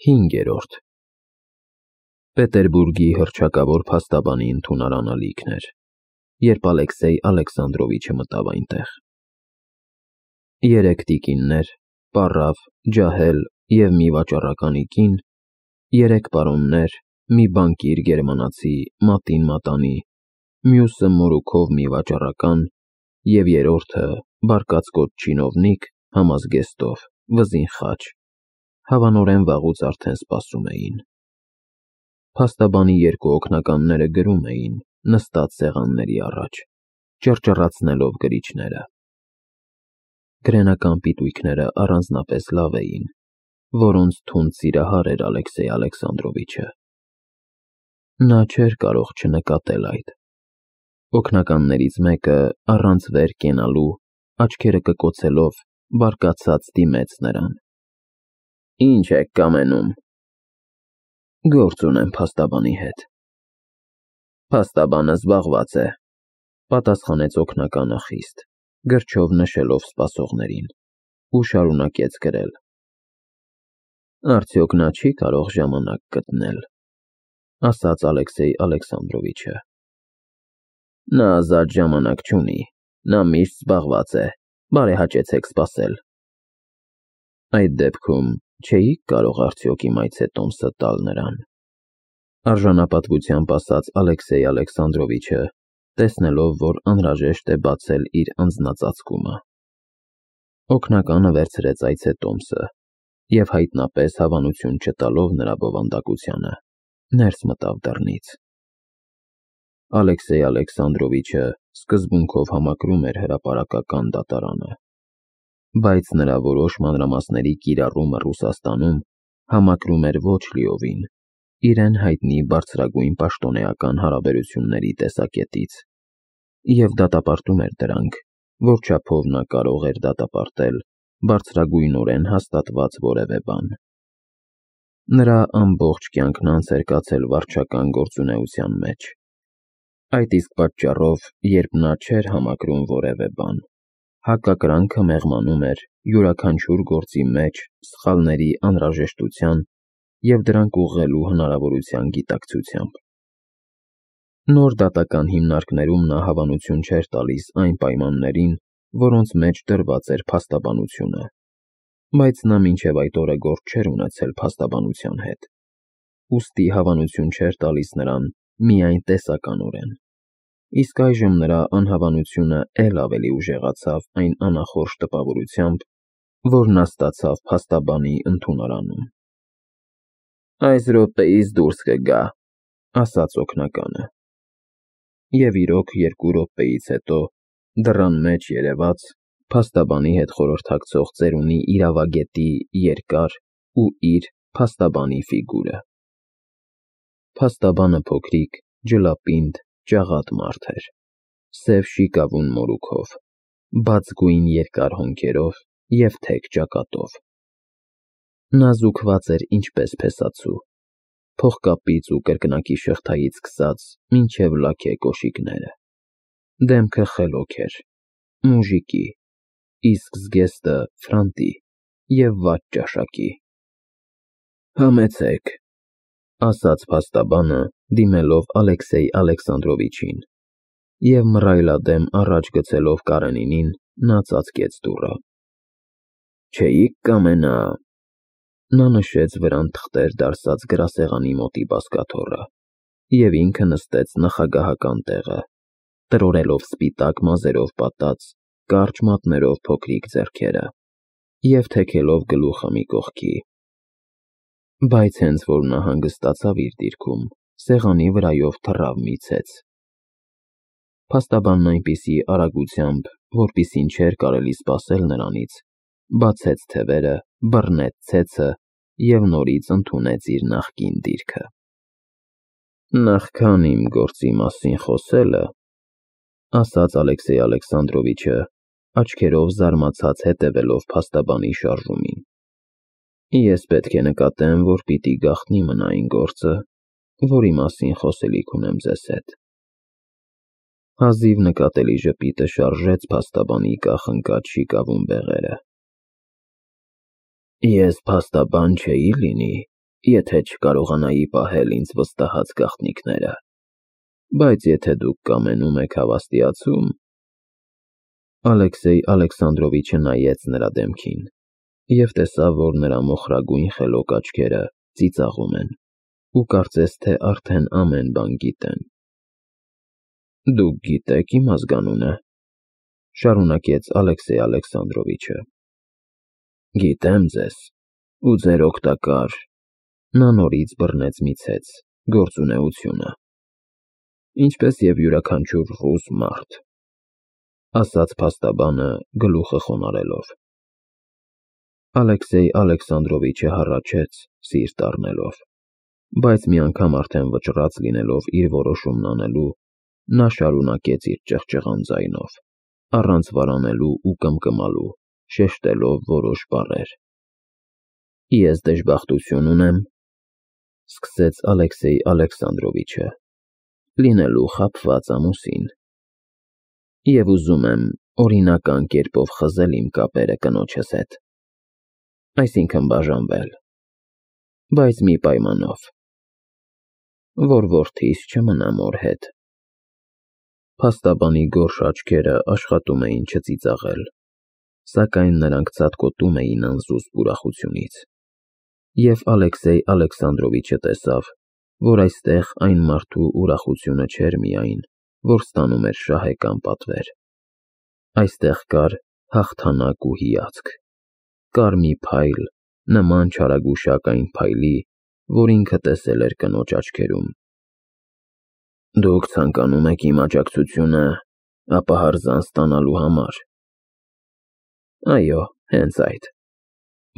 5-րդ Պետերբուրգի հռչակավոր փաստաբանի ընդունարանը լիքն էր, երբ Ալեքսեյ Ալեքսանդրովիչը մտավ այնտեղ։ 3 տիկիններ, պառավ, ջահել և մի վաճառականի կին, 3 պարոններ, մի բանկիր գերմանացի, մատին մատանի, մյուսը մորուքով մի վաճառական և երրորդը բարկացկոտ չինովնիկ համազգեստով, վզին խաչ, հավանորեն վաղուց արդեն սպասում էին։ Փաստաբանի 2 օգնականները գրում էին, նստած սեղանների առաջ, ճռճռացնելով գրիչները։ Գրենական պիտույքները առանձնապես լավ էին, որոնց թունդ սիրահար էր Ալեքսեյ Ալեքսանդրովիչը։ Նա չէր կարող չնկատել այդ։ Օգնականներից մեկը, առանց վեր կենալու, աչքերը կկոցելով, բարկացած դիմեց նրան։ Ինչ եք կամենում։ Գործ ունեմ փաստաբանի հետ։ Փաստաբանը զբաղված է, պատասխանեց օգնականը խիստ, գրչով նշելով սպասողներին, ու շարունակեց գրել։ Արդյոք նա չի կարող ժամանակ գտնել, ասաց Ալեքսեյ Ալեքսանդրովիչը։ Նա ազատ ժամանակ չունի, նա միշտ զբաղված է, բարեհաճեցեք սպասել։ Այդ դեպքում չէիք կարող արդյոք իմ այցետոմսը տալ նրան, արժանապատվությամբ ասաց Ալեքսեյ Ալեքսանդրովիչը, տեսնելով, որ անհրաժեշտ է բացել իր անձնածածկումը։ Օգնականը վերցրեց այցետոմսը և հայտնապես հավանություն չտալով նրա բովանդակությանը, ներս մտավ դռնից։ Ալեքսեյ Ալեքսանդրովիչը սկզբունքով համակրում էր հրապարակական դատարանը, բայց նրա որոշ մանրամասների կիրառումը Ռուսաստանում համակրում էր ոչ լիովին, իրեն հայտնի բարձրագույն պաշտոնեական հարաբերությունների տեսակետից, և դատապարտում էր դրանք, որ չափով նա կարող էր դատապարտել բարձրագույնորեն հաստատված որևէ բան։ Նրա ամբողջ կյանքն անց էր կացել վարչական գործունեության մեջ։ Այդ իսկ պատճառով, երբ նա չէր համակրում որևէ բան, հակակրանքը մեղմանում էր յուրաքանչյուր գործի մեջ սխալների անհրաժեշտության և դրանք ուղղելու հնարավորության գիտակցությամբ։ Նոր դատական հիմնարկներում նա հավանություն չէր տալիս այն պայմաններին, որոնց մեջ դրված էր փաստաբանությունը, բայց նա մինչև այդ օրը գործ չէր ունեցել փաստաբանության հետ, ուստի հավանություն չէր տալիս նրան միայն տեսականորեն, իսկ այժմ նրա անհավանությունը էլ ավելի ուժեղացավ այն անախորժ տպավորությամբ, որ նա ստացավ փաստաբանի ընդունարանում։ Այս րոպեից դուրս կգա, ասաց օգնականը։ Եվ իրոք 2 րոպեից հետո դռան մեջ երևաց փաստաբանի հետ խորհրդակցող ծերունի իրավագետի երկար ու իր փաստաբանի ֆիգուրը։ Փաստաբանը փոքրիկ, ջլապինդ, ճաղատ մարդ էր, սև շիկավուն մորուքով, բաց գույն երկար հոնքերով և թեք ճակատով։ Նա զուգված էր ինչպես փեսացու, փողկապից ու կրկնակի շղթայից սկսած մինչև լաքե կոշիկները։ Դեմքը խելոք էր, մուժիկի, իսկ զգեստը ֆրանտի և վատ ճաշակի։ Համեցեք, ասաց փաստաբանը, դիմելով Ալեքսեյ Ալեքսանդրովիչին, և մռայլադեմ առաջ գցելով Կարենինին, նա ծածկեց դուռը։ Չէիք կամենա… Նա նշեց վրան թղթեր դարսած գրասեղանի մոտի բազկաթոռը և ինքը նստեց նախագահական տեղը, տրորելով սպիտակ մազերով պատած, կարճ մատներով փոքրիկ ձեռքերը և թեքելով գլուխը մի կողքի։ Բայց հենց որ նա հանգստացավ իր դիրքում, սեղանի վրայով թռավ մի ցեց։ Փաստաբանն այնպիսի արագությամբ, որպիսին չէր կարելի սպասել նրանից, բացեց թևերը, բռնեց ցեցը և նորից ընդունեց իր նախկին դիրքը։ Նախքան իմ գործի մասին խոսելը, ասաց Ալեքսեյ Ալեքսանդրովիչը, աչքերով զարմացած հետևելով փաստաբանի շարժումին, ես պետք է նկատեմ, որ պիտի գաղտնի մնա այն գործը, որի մասին խոսելիք ունեմ ձեզ հետ։ Հազիվ նկատելի ժպիտը շարժեց փաստաբանի կախնկած շիկավուն բեղերը։ Ես փաստաբան չէի լինի, եթե չկարողանայի պահել ինձ վստահած գաղտնիքները, բայց եթե դուք կամենում եք հավաստիացում… Ալեքսեյ Ալեքսանդրովիչը նայեց նրա դեմքին և տեսավ, որ նրա մոխրագույն խելոք աչքերը ծիծաղում են ու կարծես թե արդեն ամեն բան գիտեն։ Դուք գիտեք իմ ազգանունը, շարունակեց Ալեքսեյ Ալեքսանդրովիչը։ Գիտեմ ձեզ ու ձեր օգտակար… Նա նորից բռնեց մի ցեց, գործունեությունը, ինչպես և յուրաքանչյուր ռուս մարդ, ասաց փաստաբանը գլուխը խոնարհելով։ Ալեքսեյ Ալեքսանդրովիչը հառաչեց, սիրտ առնելով, բայց մի անգամ արդեն վճռած լինելով իր որոշումն անելու, նա շարունակեց իր ճղճղան ձայնով, առանց վարանելու ու կմկմալու, շեշտելով որոշ բառեր։ Ես դժբախտություն ունեմ, սկսեց Ալեքսեյ Ալեքսանդրովիչը, լինելու խաբված ամուսին, և ուզում եմ օրինական կերպով խզել իմ կապերը կնոջս հետ, այսինքն բաժանվել, բայց մի պայմանով, որ որդիս չմնա մոր հետ։ Փաստաբանի գորշ աչքերը աշխատում էին չծիծաղել, սակայն նրանք ցատկոտում էին անզուսպ ուրախությունից, և Ալեքսեյ Ալեքսանդրովիչը տեսավ, որ այստեղ այն մարդու ուրախությունը չէր միայն, որ ստանում էր շահեկան պատվեր, այստեղ կար հաղթանակ ու հիացք, կար մի փայլ, նման չարագուշակ այն փայլի, որ ինքը տեսել էր կնոջ աչքերում։ Դուք ցանկանում եք իմ աջակցությունը ապահարզան ստանալու համար։ Այո, հենց այդ,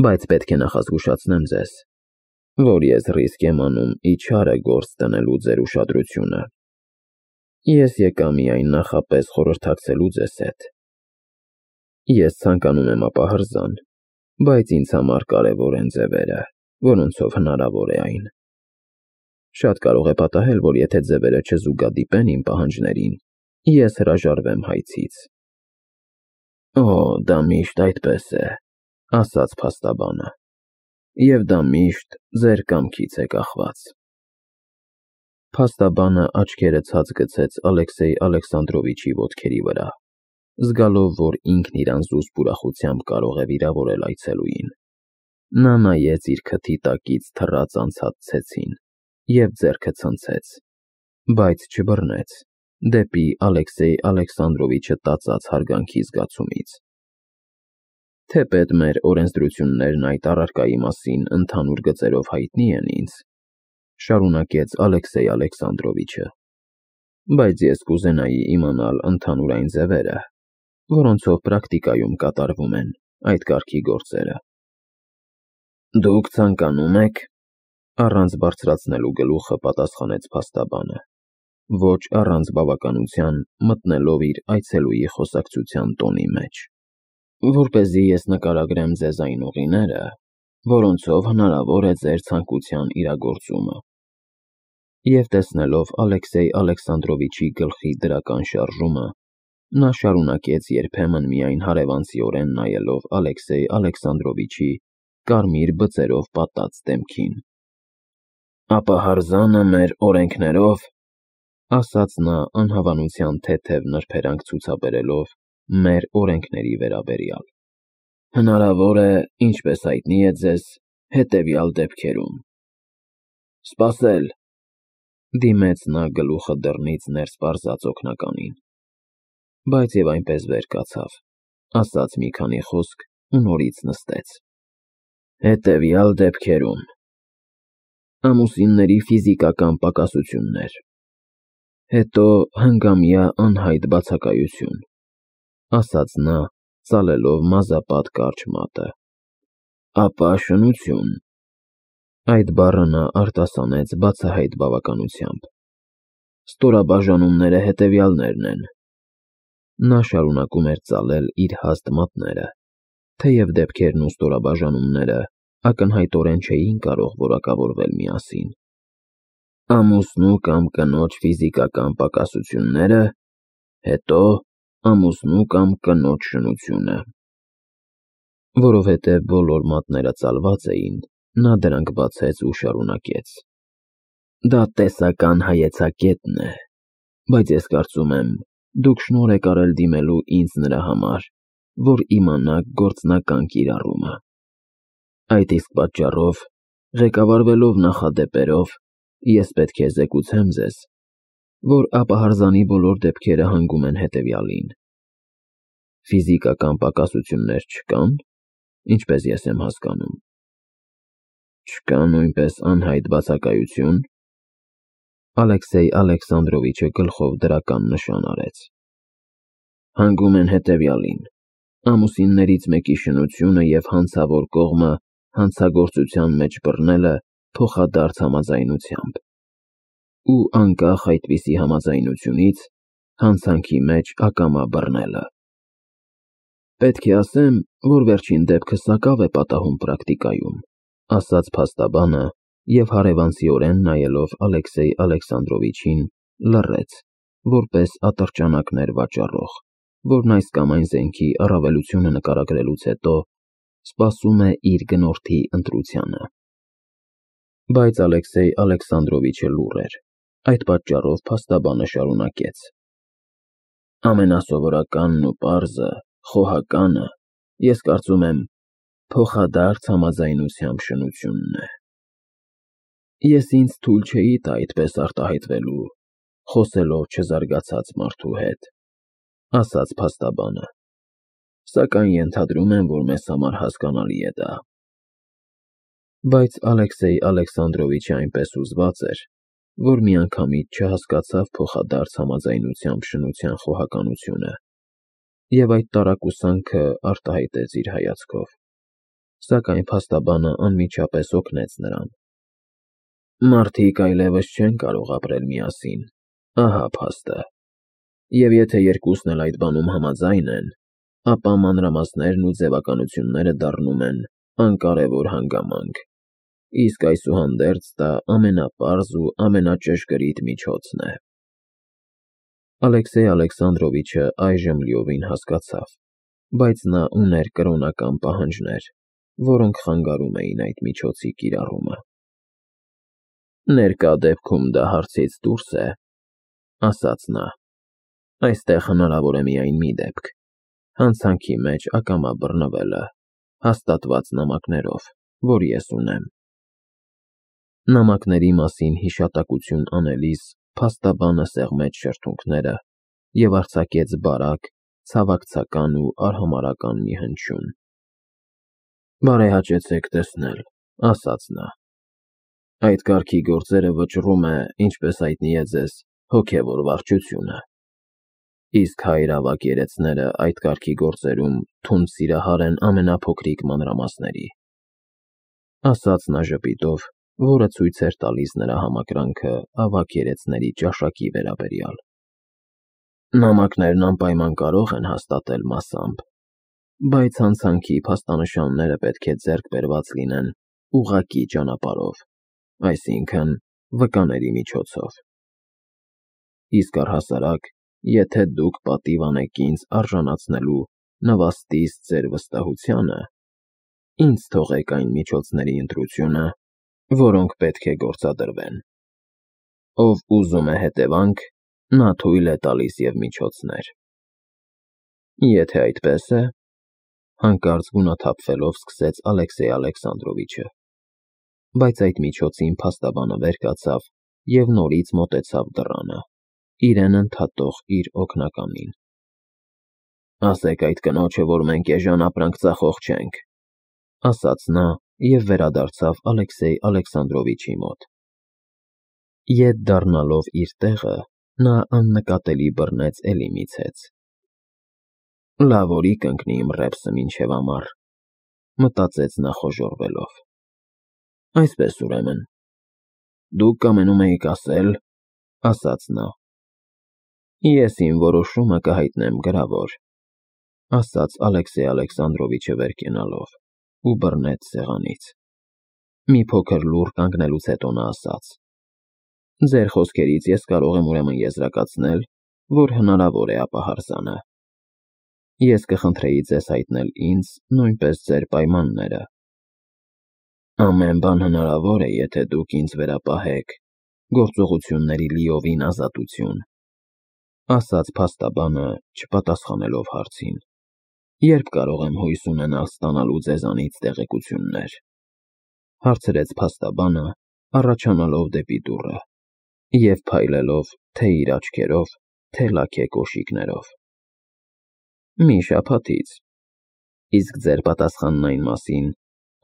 բայց պետք է նախազգուշացնեմ ձեզ, որ ես ռիսկ եմ անում իչարը գործ դնելու ձեր ուշադրությունը։ Ես եկա միայն նախապես խորհրդակցելու ձեզ հետ։ Ես ցանկանում եմ ապահարզան, բայց ինձ համար կարևոր են ձևերը, որոնցով հնարավոր է այն։ Շատ կարող է պատահել, որ եթե ձևերը չզուգադիպեն իմ պահանջներին, ես հրաժարվեմ հայցից։ Օ, դա միշտ այդպես է, ասաց փաստաբանը, և դա միշտ ձեր կամքից է կախված։ Փաստաբանը աչքերը ցած գցեց Ալեքսեյ Ալեքսանդրովիչի ոտքերի վրա, զգալով, որ ինքն իր անզուսպ ուրախությամբ կարող է վիրավորել այցելուին։ Նա նայեց իր քթի տակից թռած անցած ցեցին և ձեռքը ցնցեց, բայց չբռնեց, դեպի Ալեքսեյ Ալեքսանդրովիչը տածած հարգանքի զգացումից։ Թեպետ մեր օրենսդրություններն այդ առարկայի մասին ընդհանուր գծերով հայտնի են ինձ, շարունակեց Ալեքսեյ Ալեքսանդրովիչը, բայց ես կուզենայի իմանալ ընդհանուր այն ձևերը, որոնցով պրակտիկայում կատարվում են այդ կարգի գործերը։ Դուք ցանկանում եք, առանց բարձրացնելու գլուխը պատասխանեց փաստաբանը, ոչ առանց բավականության մտնելով իր այցելուի խոսակցության տոնի մեջ, որպեսզի ես նկարագրեմ ձեզ այն ուղիները, որոնցով հնարավոր է ձեր ցանկության իրագործումը։ Եվ տեսնելով Ալեքսեյ Ալեքսանդրովիչի գլխի դրական շարժումը, նա շարունակեց երբեմն միայն հարևանցիորեն նայելով Ալեքսեյ Ալեքսանդրովիչի կարմիր բծերով պատած դեմքին։ Ապահարզանը մեր օրենքներով, ասաց նա անհավանության թեթև նրբերանգ ցուցաբերելով մեր օրենքների վերաբերյալ, հնարավոր է, ինչպես հայտնի է ձեզ, հետևյալ դեպքերում։ Սպասել, դիմեց նա գլուխը դռնից ներս պարզած օգնականին, բայց և այնպես վեր կացավ, ասաց մի քանի խոսք ու նորից նստեց։ Հետևյալ դեպքերում. ամուսինների ֆիզիկական պակասություններ, հետո հնգամյա անհայտ բացակայություն, ասաց նա, ծալելով մազապատ կարճ մատը, ապա շնություն։ Այդ բառը նա արտասանեց բացահայտ բավականությամբ։ Ստորաբաժանումները հետևյալներն են։ Նա շարունակում էր ծալել իր հաստ մատները, թեև դեպքերն ու ստորաբաժանումները ակնհայտորեն չէին կարող որակավորվել միասին։ Ամուսնու կամ կնոջ ֆիզիկական պակասությունները, հետո ամուսնու կամ կնոջ շնությունը։ Որովհետև բոլոր մատները ծալված էին, Նա դրանք բացեց ու շարունակեց. Դա տեսական հայեցակետն է, բայց ես կարծում եմ, դուք շնորհ եք արել դիմելու ինձ նրա համար, որ իմանաք գործնական կիրառումը։ Այդ իսկ պատճառով, ղեկավարվելով նախադեպերով, ես պետք է զեկուցեմ ձեզ, որ ապահարզանի բոլոր դեպքերը հանգում են հետևյալին. ֆիզիկական պակասություններ չկան, ինչպես ես եմ հասկանում։ Չկա նույնպես անհայտ բացակայություն։ Ալեքսեյ Ալեքսանդրովիչը գլխով դրական նշան արեց։ Հանգում են հետևյալին. ամուսիններից մեկի շնությունը և հանցավոր կողմը հանցագործության մեջ բռնելը փոխադարձ համաձայնությամբ, ու անկախ այդպիսի համաձայնությունից հանցանքի մեջ ակամա բռնելը։ Պետք է ասեմ, որ վերջին դեպքը սակավ է պատահում պրակտիկայում, ասաց փաստաբանը և հարևանցիորեն նայելով Ալեքսեյ Ալեքսանդրովիչին լռեց, որպես ատրճանակներ վաճառող, որն այս կամ այն զենքի առավելությունը նկարագրելուց հետո սպասում է իր գնորդի ընտրությանը։ Բայց Ալեքսեյ Ալեքսանդրովիչը լուռ էր, այդ պատճառով փաստաբանը շարունակեց. ամենասովորականն ու պարզը, խոհականը, ես կարծում եմ, փոխադարձ համաձայնությամբ շնությունն է։ Ես ինձ թույլ չէի տա այդպես արտահայտվելու, խոսելով չզարգացած մարդու հետ, ասաց փաստաբանը, սակայն ենթադրում եմ, որ մեզ համար հասկանալի է դա։ Բայց Ալեքսեյ Ալեքսանդրովիչը այնպես հուզված էր, որ միանգամից չհասկացավ փոխադարձ համաձայնությամբ շնության խոհականությունը, և այդ տարակուսանքը արտահայտեց իր հայացքով, սակայն փաստաբանը անմիջապես օգնեց նրան։ Մարդիկ այլևս չեն կարող ապրել միասին, ահա փաստը, և եթե երկուսն էլ այդ բանում համաձայն են, ապա մանրամասներն ու ձևականությունները դառնում են անկարևոր հանգամանք, իսկ այսուհանդերձ դա ամենապարզ ու ամենաճշգրիտ միջոցն է։ Ալեքսեյ Ալեքսանդրովիչը այժմ լիովին հասկացավ, բայց նա ուներ կրոնական պահանջներ, որոնք խանգարում էին այդ միջոցի կիրառումը։ Ներկա դեպքում դա հարցից դուրս է, ասաց նա, այստեղ հնարավոր է միայն մի դեպք, հանցանքի մեջ ակամա բռնվելը, հաստատված նամակներով, որ ես ունեմ։ Նամակների մասին հիշատակություն անելիս փաստաբանը սեղմեց շրթունքները և արձակեց բարակ, ցավակցական ու արհամարհական մի հնչյուն։ Բարեհաճեցեք տեսնել, ասաց նա։ Այդ կարգի գործերը վճռում է, ինչպես հայտնի է ձեզ, հոգևոր վարչությունը։ Իսկ հայր ավագ երեցները այդ կարգի գործերում թունդ սիրահար են ամենափոքրիկ մանրամասների, ասաց նա ժպիտով, որը ցույց էր տալիս նրա համակրանքը ավագ երեցների ճաշակի վերաբերյալ։ Նամակներն անպայման կարող են հաստատել մասամբ, բայց հանցանքի փաստանշանները պետք է ձեռք բերված լինեն ուղղակի ճանապարհով, այսինքն վկաների միջոցով։ Իսկ առհասարակ, եթե դուք պատիվ անեք ինձ արժանացնելու նվաստիս ձեր վստահությանը, ինձ թողեք այն միջոցների ընտրությունը, որոնք պետք է գործադրվեն։ Ով ուզում է հետևանք, նա թույլ է տալիս և միջոցներ։ Եթե այդպես է, հանկարծ գունաթափվելով սկսեց Ալեքսեյ Ալեքսանդրովիչը, բայց այդ միջոցին փաստաբանը վեր կացավ և նորից մոտեցավ դռանը, իրեն ընդհատող իր օգնականին։ Ասեք այդ կնոջը, որ մենք էժան ապրանք ծախող չենք, ասաց նա և վերադարձավ Ալեքսեյ Ալեքսանդրովիչի մոտ։ Ետ դառնալով իր տեղը, նա աննկատելի բռնեց էլի մի ցեց։ Լավ օրի կընկնի իմ ռեպսը մինչև ամառ, մտածեց նա խոժոռվելով։ Այսպես ուրեմն, դուք կամենում էիք ասել, ասաց նա։ Ես իմ որոշումը կհայտնեմ գրավոր, ասաց Ալեքսեյ Ալեքսանդրովիչը վեր կենալով ու բռնեց սեղանից։ Մի փոքր լուռ կանգնելուց հետո նա ասաց. Ձեր խոսքերից ես կարող եմ ուրեմն եզրակացնել, որ հնարավոր է ապահարզանը։ Ես կխնդրեի ձեզ հայտնել ինձ նույնպես ձեր պայմանները։ Ամեն բան հնարավոր է, եթե դուք ինձ վերապահեք, գործողությունների լիովին ազատություն, ասաց փաստաբանը, չպատասխանելով հարցին։ Երբ կարող եմ հույս ունենալ ստանալու ձեզանից տեղեկություններ, հարցրեց փաստաբանը, առաջանալով դեպի դուռը և փայլելով թե իր աչքերով, թե լաքի կոշիկներով։ Մի շաբաթից։ Իսկ ձեր պատասխանն այն մասին,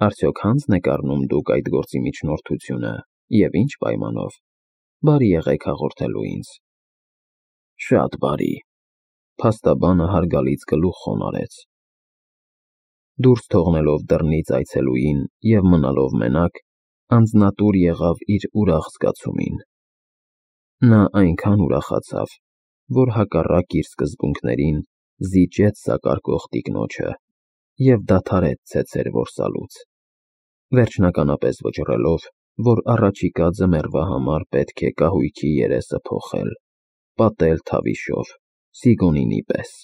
արդյոք հանձն եք առնում դուք այդ գործի միջնորդությունը և ինչ պայմանով, բարի եղեք հաղորդելու ինձ։ Շատ բարի, փաստաբանը հարգալից գլուխ խոնարհեց։ Դուրս թողնելով դռնից այցելուին և մնալով մենակ, անձնատուր եղավ իր ուրախ զգացումին։ Նա այնքան ուրախացավ, որ հակառակ իր սկզբունքներին զիջեց սակարկող տիկնոջը և դադարեց ցեցեր որսալուց, վերջնականապես վճռելով, որ առաջիկա ձմեռվա համար պետք է կահույքի երեսը փոխել, պատել թավիշով, Սիգոնինի պես։